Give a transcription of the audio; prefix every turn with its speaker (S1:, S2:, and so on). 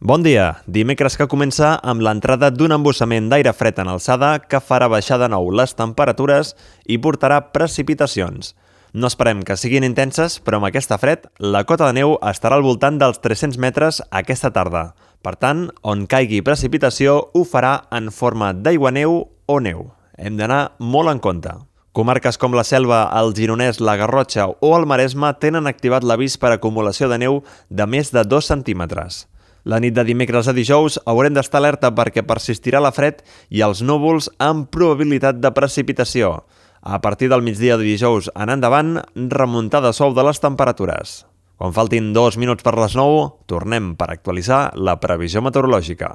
S1: Bon dia! Dimecres que comença amb l'entrada d'un embussament d'aire fred en alçada que farà baixar de nou les temperatures i portarà precipitacions. No esperem que siguin intenses, però amb aquesta fred, la cota de neu estarà al voltant dels 300 metres aquesta tarda. Per tant, on caigui precipitació ho farà en forma d'aiguaneu o neu. Hem d'anar molt en compte. Comarques com la Selva, el Gironès, la Garrotxa o el Maresme tenen activat l'avís per acumulació de neu de més de 2 centímetres. La nit de dimecres a dijous haurem d'estar alerta perquè persistirà la fred i els núvols amb probabilitat de precipitació. A partir del migdia de dijous en endavant, remuntada suau de les temperatures. Quan faltin 2 minuts per les 9, tornem per actualitzar la previsió meteorològica.